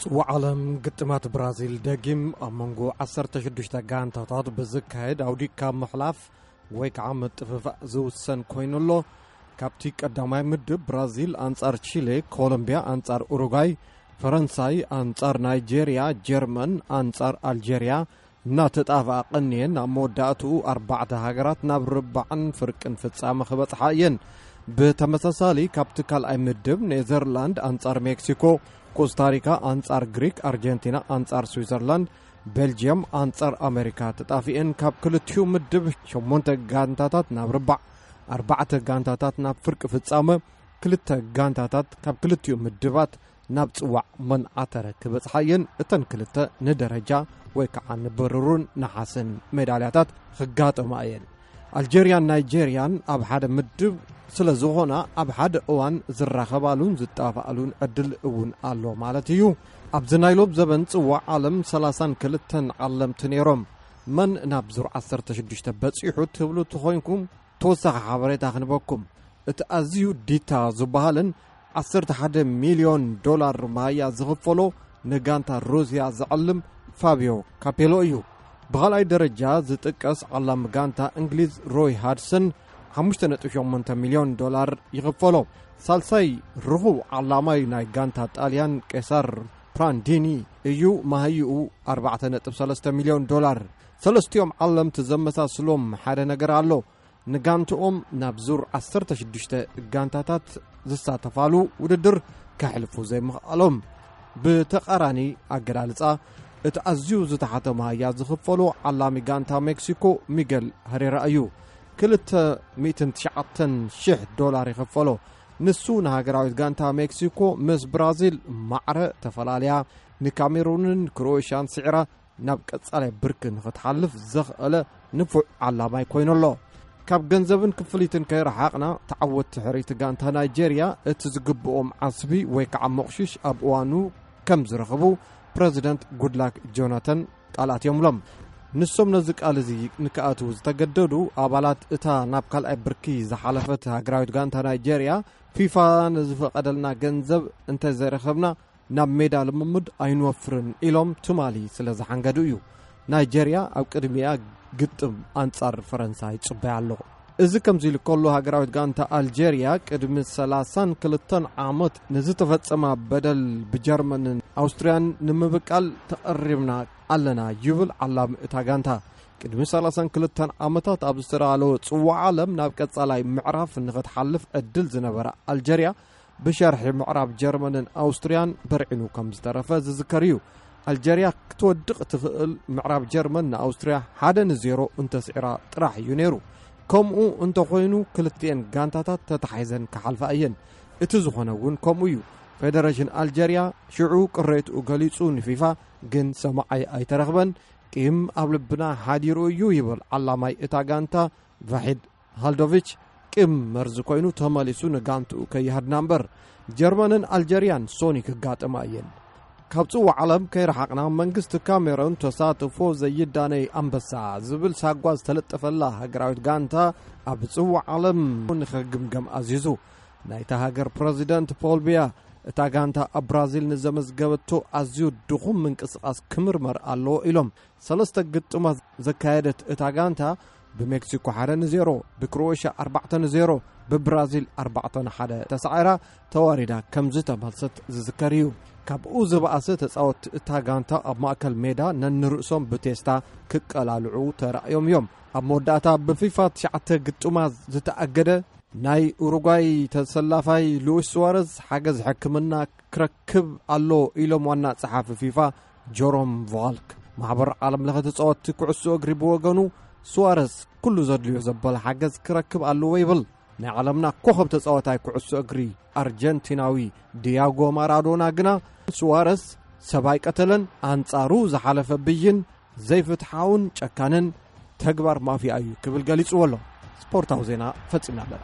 ጽዋዕ ዓለም ግጥማት ብራዚል ደጊም ኣብ መንጎ ዓሰርተ ሽዱሽተ ጋንታታት ብዝካየድ ኣውዲካ ምሕላፍ ወይ ከዓ ምጥፍፋእ ዝውሰን ኮይኑ ኣሎ። ካብቲ ቀዳማይ ምድብ ብራዚል ኣንጻር ቺሌ፣ ኮሎምቢያ ኣንጻር ኡሩጓይ፣ ፈረንሳይ ኣንጻር ናይጄርያ፣ ጀርመን ኣንጻር ኣልጄርያ እናተጣፍኣ ቀንየን ኣብ መወዳእትኡ ኣርባዕተ ሃገራት ናብ ርባዕን ፍርቅን ፍጻመ ክበጽሓ እየን። ብተመሳሳሊ ካብቲ ካልኣይ ምድብ ኔዘርላንድ ኣንጻር ሜክሲኮ፣ ኮስታሪካ ኣንጻር ግሪክ፣ ኣርጀንቲና ኣንጻር ስዊዘርላንድ፣ ቤልጅየም ኣንጻር ኣሜሪካ ተጣፊኤን ካብ ክልቲኡ ምድብ ሸሞንተ ጋንታታት ናብ ርባዕ፣ ኣርባዕተ ጋንታታት ናብ ፍርቂ ፍጻመ፣ ክልተ ጋንታታት ካብ ክልቲኡ ምድባት ናብ ጽዋዕ መን ኣተረ ክበጽሓ እየን። እተን ክልተ ንደረጃ ወይ ከዓ ንብሩርን ነሓስን ሜዳልያታት ክጋጠማ እየን። ኣልጀርያን ናይጄርያን ኣብ ሓደ ምድብ ስለ ዝኾና ኣብ ሓደ እዋን ዝራኸባሉን ዝጣፋኣሉን ዕድል እውን ኣሎ ማለት እዩ። ኣብዚ ናይ ሎብ ዘበን ጽዋዕ ዓለም ሰላሳን ክልተን ዓለምቲ ነይሮም። መን ናብ ዙር ዓሰርተ ሽዱሽተ በጺሑ ትብሉ ተኾይንኩም ተወሳኺ ሓበሬታ ክንበኩም። እቲ ኣዝዩ ዲታ ዝበሃልን ዓሰርተ ሓደ ሚልዮን ዶላር ማያ ዝኽፈሎ ንጋንታ ሩስያ ዝዕልም ፋቢዮ ካፔሎ እዩ። ብኻልኣይ ደረጃ ዝጥቀስ ዓላሚ ጋንታ እንግሊዝ ሮይ ሃድሰን ሓሙሽተ ነጥቢ ሸሞንተ ሚልዮን ዶላር ይኽፈሎ። ሳልሳይ ርኹብ ዓላማይ ናይ ጋንታ ጣልያን ቄሳር ፕራንዲኒ እዩ። ማህይኡ ኣርባዕተ ነጥቢ ሰለስተ ሚልዮን ዶላር። ሰለስቲኦም ዓለምቲ ዘመሳስሎም ሓደ ነገር ኣሎ። ንጋንትኦም ናብ ዙር ዓሰርተ ሽዱሽተ ጋንታታት ዝሳተፋሉ ውድድር ከሕልፉ ዘይምኽኣሎም። ብተቓራኒ ኣገላልጻ፣ እቲ ኣዝዩ ዝተሓተ ማህያ ዝኽፈሎ ዓላሚ ጋንታ ሜክሲኮ ሚገል ሀሬራ እዩ። ክልተ ሚእትን ትሽዓተን ሽሕ ዶላር ይኽፈሎ። ንሱ ንሃገራዊት ጋንታ ሜክሲኮ ምስ ብራዚል ማዕረ ተፈላለያ፣ ንካሜሩንን ክሮኤሽያን ስዒራ ናብ ቀጻላይ ብርኪ ንኽትሓልፍ ዘኽእለ ንፉዕ ዓላማይ ኮይኑ ኣሎ። ካብ ገንዘብን ክፍሊትን ከይረሓቕና፣ ተዓወትቲ ሕርይቲ ጋንታ ናይጄርያ እቲ ዝግብኦም ዓስቢ ወይ ከዓ መቑሽሽ ኣብ እዋኑ ከም ዝረኽቡ ፕረዚደንት ጉድላክ ጆናተን ቃል ኣትዮምሎም። ንሶም ነዚ ቃል እዚ ንክኣትዉ ዝተገደዱ ኣባላት እታ ናብ ካልኣይ ብርኪ ዝሓለፈት ሃገራዊት ጋንታ ናይጄርያ፣ ፊፋ ንዝፈቐደልና ገንዘብ እንተዘይረኸብና ናብ ሜዳ ልምምድ ኣይንወፍርን ኢሎም ትማሊ ስለ ዝሓንገዱ እዩ። ናይጄርያ ኣብ ቅድሚኣ ግጥም ኣንጻር ፈረንሳ ይጽበያ ኣሎ። እዚ ከምዚ ኢሉ ከሎ፣ ሃገራዊት ጋንታ ኣልጀርያ ቅድሚ ሰላሳን ክልተን ዓመት ንዝተፈጸማ በደል ብጀርመንን ኣውስትርያን ንምብቃል ተቐሪብና ኣለና ይብል ዓላሚ እታ ጋንታ። ቅድሚ ሰላሳን ክልተን ዓመታት ኣብ ዝተዳለወ ጽዋዕ ዓለም ናብ ቀጻላይ ምዕራፍ ንኽትሓልፍ ዕድል ዝነበራ ኣልጀርያ፣ ብሸርሒ ምዕራብ ጀርመንን ኣውስትርያን በርዒኑ ከም ዝተረፈ ዝዝከር እዩ። ኣልጀርያ ክትወድቕ ትኽእል ምዕራብ ጀርመን ንኣውስትርያ ሓደ ንዜሮ እንተስዒራ ጥራሕ እዩ ነይሩ። ከምኡ እንተኾይኑ ክልቲኤን ጋንታታት ተታሒዘን ክሓልፋ እየን። እቲ ዝኾነ እውን ከምኡ እዩ። ፌደሬሽን ኣልጀርያ ሽዑ ቅሬትኡ ገሊጹ ንፊፋ፣ ግን ሰማዓይ ኣይተረኽበን። ቂም ኣብ ልብና ሓዲሩ እዩ ይብል ዓላማይ እታ ጋንታ ቫሒድ ሃልዶቪች። ቂም መርዚ ኮይኑ ተመሊሱ ንጋንትኡ ከይሃድና እምበር። ጀርመንን ኣልጀርያን ሶኒ ክጋጠማ እየን። ካብ ጽዋዕ ዓለም ከይረሓቕና፣ መንግስቲ ካሜሮን ተሳትፎ ዘይዳነይ ኣንበሳ ዝብል ሳጓ ዝተለጠፈላ ሃገራዊት ጋንታ ኣብ ጽዋዕ ዓለም ንኽግምገም ኣዚዙ። ናይታ ሃገር ፕረዚደንት ፖል ቢያ፣ እታ ጋንታ ኣብ ብራዚል ንዘመዝገበቶ ኣዝዩ ድኹም ምንቅስቓስ ክምርመር ኣለዎ ኢሎም። ሰለስተ ግጥማት ዘካየደት እታ ጋንታ ብሜክሲኮ ሓደ ንዜሮ፣ ብክሮኤሽያ ኣርባዕተ ንዜሮ፣ ብብራዚል ኣርባዕተ ንሓደ ተሳዒራ ተዋሪዳ ከም ዝተመልሰት ዝዝከር እዩ። ካብኡ ዝበኣሰ ተጻወትቲ እታ ጋንታ ኣብ ማእከል ሜዳ ነንርእሶም ብቴስታ ክቀላልዑ ተራእዮም እዮም። ኣብ መወዳእታ ብፊፋ ትሽዓተ ግጥማት ዝተኣገደ ናይ ኡሩጓይ ተሰላፋይ ሉዊስ ሱዋረዝ ሓገዝ ሕክምና ክረክብ ኣሎ ኢሎም ዋና ጸሓፊ ፊፋ ጆሮም ቫልክ። ማሕበር ዓለም ለኸ ተጻወትቲ ኩዕሶ እግሪ ብወገኑ፣ ሱዋረዝ ኩሉ ዘድልዮ ዘበለ ሓገዝ ክረክብ ኣለዎ ይብል። ናይ ዓለምና ኮኸብ ተጻዋታይ ኩዕሶ እግሪ ኣርጀንቲናዊ ዲያጎ ማራዶና ግና፣ ሱዋረዝ ሰብ ኣይቀተለን፣ ኣንጻሩ ዝሓለፈ ብይን ዘይፍትሓውን ጨካንን ተግባር ማፍያ እዩ ክብል ገሊጽዎ ኣሎ። ስፖርታዊ ዜና ፈጺምና ኣለና።